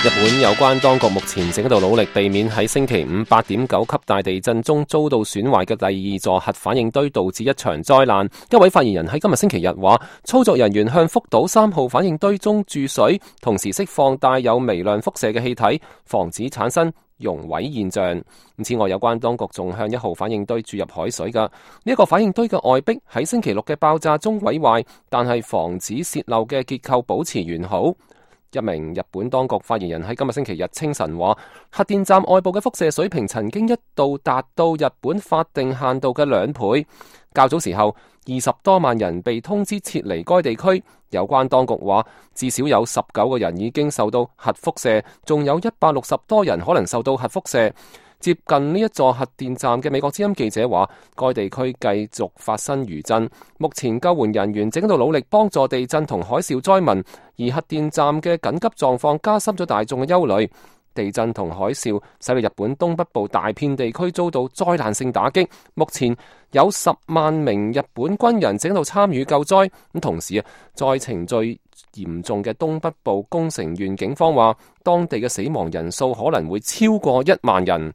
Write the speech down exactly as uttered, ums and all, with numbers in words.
日本有關當局目前正喺度努力避免喺星期五八點九級大地震中遭到損壞嘅第二座核反應堆導致一場災難。一位發言人喺今日星期日話，操作人員向福島三號反應堆中注水，同時釋放帶有微量輻射嘅氣體，防止產生熔毀現象。此外，有關當局仲向一號反應堆注入海水㗎。呢、這、一個反應堆嘅外壁喺星期六嘅爆炸中毀壞，但係防止洩漏嘅結構保持完好。一名日本當局發言人喺今日星期日清晨話，核電站外部嘅輻射水平曾經一度達到日本法定限度嘅兩倍。較早時候，二十多萬人被通知撤離該地區。有關當局話，至少有十九個人已經受到核輻射，仲有一百六十多人可能受到核輻射。接近呢一座核電站嘅美國之音記者話，該地區繼續發生餘震，目前救援人員正喺度努力幫助地震同海嘯災民，而核電站嘅緊急狀況加深咗大眾嘅憂慮。地震同海嘯使到日本東北部大片地區遭到災難性打擊，目前有十萬名日本軍人正喺度參與救災。咁同時啊，災情最嚴重嘅東北部宮城縣警方話，當地嘅死亡人數可能會超過一萬人。